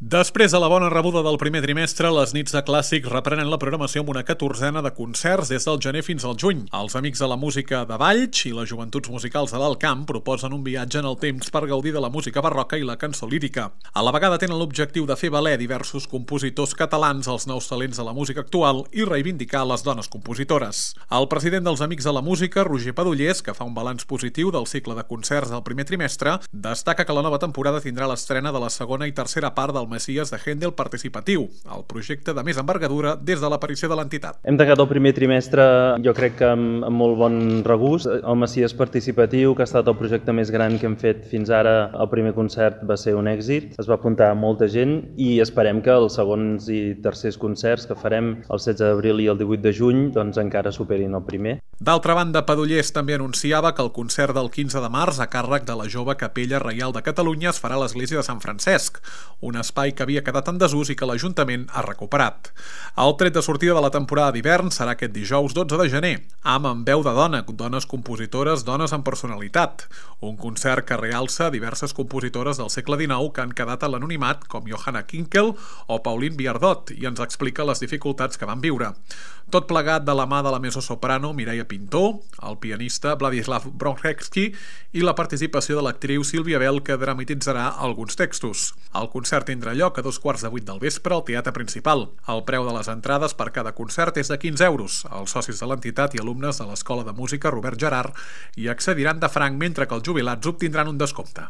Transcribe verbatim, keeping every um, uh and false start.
Després de la bona rebuda del primer trimestre, les nits de clàssics reprenen la programació amb una catorzena de concerts des del gener fins al juny. Els amics de la música de Valls i les joventuts musicals de l'Alt Camp proposen un viatge en el temps per gaudir de la música barroca i la cançó lírica. A la vegada tenen l'objectiu de fer valer diversos compositors catalans, els nous talents de la música actual i reivindicar les dones compositores. El president dels Amics de la Música, Roger Padullés, que fa un balanç positiu del cicle de concerts del primer trimestre, destaca que la nova temporada tindrà l'estrena de la segona i tercera part del Messies de Händel participatiu, el projecte de més envergadura des de l'aparició de l'entitat. Hem tancat el primer trimestre, jo crec que amb, amb molt bon regust. El Messies participatiu, que ha estat el projecte més gran que hem fet fins ara, el primer concert va ser un èxit, es va apuntar molta gent i esperem que els segons i tercers concerts que farem el setze d'abril i el divuit de juny doncs encara superin el primer. D'altra banda, Padullés també anunciava que el concert del quinze de març a càrrec de la Jove Capella Reial de Catalunya es farà a l'església de Sant Francesc, un espai que havia quedat en desús i que l'Ajuntament ha recuperat. El tret de sortida de la temporada d'hivern serà aquest dijous dotze de gener, amb En veu de dona, dones compositores, dones amb personalitat, un concert que realça diverses compositores del segle dinou que han quedat a l'anonimat, com Johanna Kinkel o Pauline Viardot, i ens explica les dificultats que van viure. Tot plegat de la mà de la mezzosoprano Mireia Pintor, el pianista Vladislav Bromhevsky i la participació de l'actriu Sílvia Bell, que dramatitzarà alguns textos. El concert tindrà lloc a dos quarts de vuit del vespre al Teatre Principal. El preu de les entrades per cada concert és de quinze euros. Els socis de l'entitat i alumnes de l'Escola de Música Robert Gerard hi accediran de franc, mentre que els jubilats obtindran un descompte.